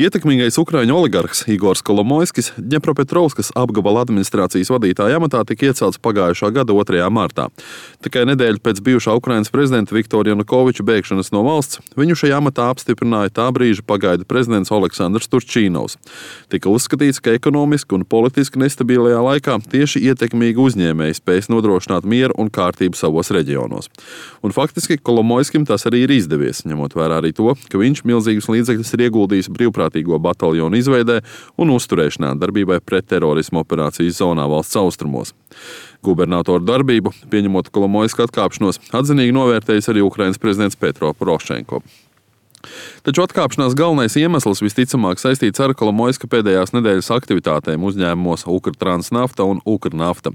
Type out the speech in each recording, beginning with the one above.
Ietekmīgais ukraiņu oligarhs Igors Kolomoiskis Dņepropetrovskas apgabala administrācijas vadītāja amatā tika iecelts pagājušā gada 2. martā. Tikai nedēļu pēc bijušā Ukrainas prezidenta Viktora Janukoviča bēgšanas no valsts viņu šajā amatā apstiprināja tā brīža pagaidu prezidents Oleksandrs Turčīnovs. Tika uzskatīts, ka ekonomiski un politiski nestabilajā laikā tieši ietekmīgi uzņēmēji spēs nodrošināt mieru un kārtību savos reģionos. Un faktiski Kolomoiskim tas arī ir izdevies, ņemot vērā arī to, ka viņš milzīgus līdzekļus ir ieguldījis brīvprātīgo bataljonu izveidē un uzturēšanā darbībai pret terorismu operācijas zonā valsts austrumos. Gubernatoru darbību, pieņemot Kolomoiska atkāpšanos, atzinīgi novērtējis arī Ukrainas prezidents Petro Porošenko. Taču atkāpšanās galvenais iemesls visticamāk saistīts ar Kolomoiska pēdējās nedēļas aktivitātēm uzņēmumos Ukrtransnafta un Ukrnafta.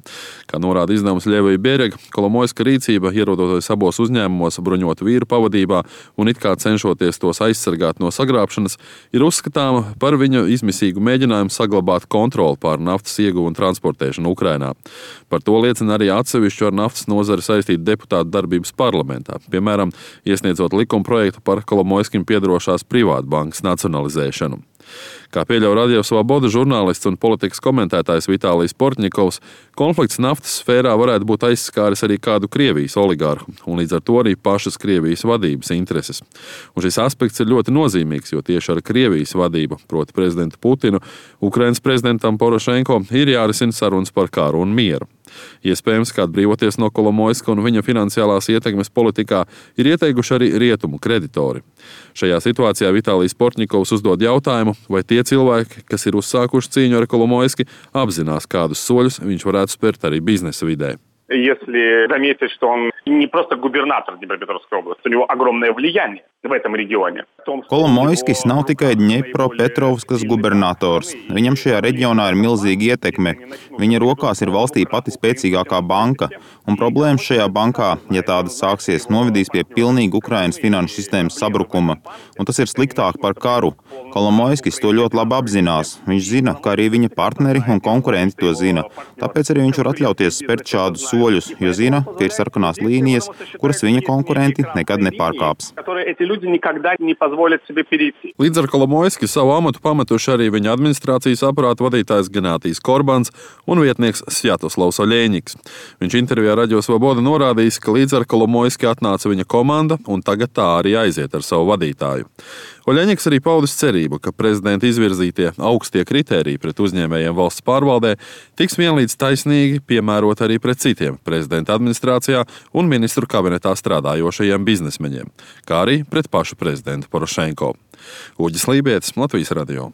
Kā norāda izdevums Ļevija Bierega, Kolomoiska rīcība, ierodoties abos uzņēmumos bruņotu vīru pavadībā un it kā cenšoties tos aizsargāt no sagrābšanas, ir uzskatāma par viņa izmisīgu mēģinājumu saglabāt kontroli pār naftas ieguvu un transportēšanu Ukrainā. Par to liecina arī atsevišķu ar naftas nozari saistītu deputātu darbības parlamentā, piemēram, iesniedzot likumprojektu par Kolomoiskim piedarošās privātbankas nacionalizēšanu. Kā pieļauj Radio Svoboda žurnālists un politikas komentētājs Vitālijs Portņikovs, konflikts naftas sfērā varētu būt aizskāris arī kādu Krievijas oligarhu, un līdz ar to arī pašas Krievijas vadības intereses. Un šis aspekts ir ļoti nozīmīgs, jo tieši ar Krievijas vadību, proti prezidentu Putinu, Ukrainas prezidentam Porošenko ir jārisina sarunas par karu un mieru. Iespējams, kā atbrīvoties no Kolomoiska un viņa finansiālās ietekmes politikā ir ieteikuši arī rietumu kreditori. Šajā situācijā Vitālijs Portņikovs uzdod jautājumu, vai tie cilvēki, kas ir uzsākuši cīņu ar Kolomoiski, apzinās, kādus soļus viņš varētu spērt arī biznesa vidē. Если заметить, что он не просто губернатор Днепропетровской области, у него огромное влияние в этом регионе. Kolomoiskis nav tikai Dņepropetrovskas gubernators. Viņam šajā reģionā ir milzīga ietekme. Viņa rokās ir valstī pati spēcīgākā banka. Un problēmas šajā bankā, ja tādas sāksies, novedīs pie pilnīga Ukrainas finanšu sistēmas sabrukuma. Un tas ir sliktāk par karu. Kolomoiskis to ļoti labi apzinās. Viņš zina, ka arī viņa partneri un konkurenti to zina. Tāpēc arī viņš var atļauties spērt šādus soļus, jo zina, ka ir sarkanās līnijas, kuras viņa konkurenti nekad nepārkāps. Līdz ar Kolomoiski savu amatu pametuši arī viņa administrācijas aparāta vadītājs Ganātijs Korbans un vietnieks Svjatoslavs Oļeņiks. Viņš intervijā Radio Svoboda norādījis, ka līdz ar Kolomoiski atnāca viņa komanda un tagad tā arī aiziet ar savu vadītāju. Oļeņiks arī paudis cerību, ka prezidenta izvirzītie augstie kritēriji pret uzņēmējiem valsts pārvaldē tiks vienlīdz taisnīgi piemērot arī pret citiem prezidenta administrācijā un ministru kabinetā strādājošajiem biznesmeņiem, kā arī pret pašu prezidentu Porošenko. Uģis Lībietis, Latvijas radio.